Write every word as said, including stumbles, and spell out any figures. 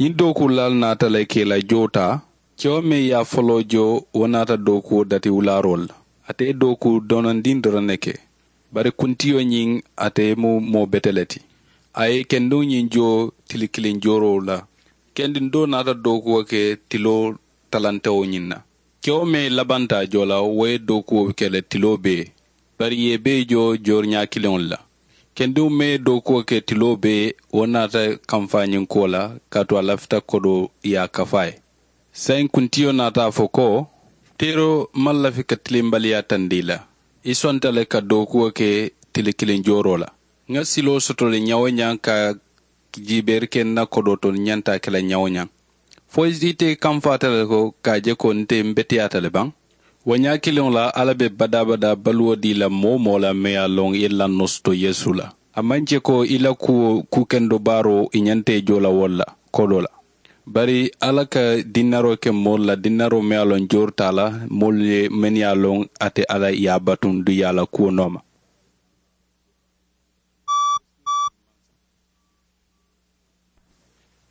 Ñiŋ dookuulaalu naata le ka i la joo taa. Kewo meŋ ye a foloo joo, wo naata dookuwo dati wulaaroo le la. Ate ye dookuu donondiŋ doroŋ ne ke. Bari kuntiyo ñiŋ, ate mu moo bete le ti. A ye kendiŋo ñiŋ joo tili kiliŋ jooroo la. Kendiŋ doo naata dookuwo ke tiloo talantewo ñiŋ na. Kewo meŋ ye labanta a joo la, wo ye dookuwo ke le tiloo bee. Bari i ye bee joo joori ñaa kiliŋo le la. Kendiŋo meŋ ye dookuwo ke tiloo bee, wo naata kamfaa ñiŋ kuwo la, kaatu a lafita kodoo ye a kafu a ye. Saayiŋ kuntiyo naata a fo ko, teeroo maŋ lafi ka tilimbaliyaa tandi i la. I sonta le ka dookuwo ke tili kiliŋ jooroo la. Ŋa siloo soto le ñaŋ-wo-ñaŋ ka jiibeeri ke n na kodoo to, n ñanta a ke la ñaŋ-wo-ñaŋ. Fo ite kamfaata le ko ka a je ko nte m beteyaata le baŋ. Wo ñaa kiliŋo la, alla be badaa-badaa baluwo dii la moo-wo-moo la meŋ ye a loŋ i ye lannoo soto yeesu la. A maŋ je ko i la kuwo kuu kendo baaroo i ñanta i joo la wo le la kodoo la. Bari alla ka dinnaroo ke moolu la dinnaroo meŋ ye a loŋ joori te a la, moolu ye mennu ye a loŋ ate alla ye a batuŋ duŋ i ye a la kuwo nooma.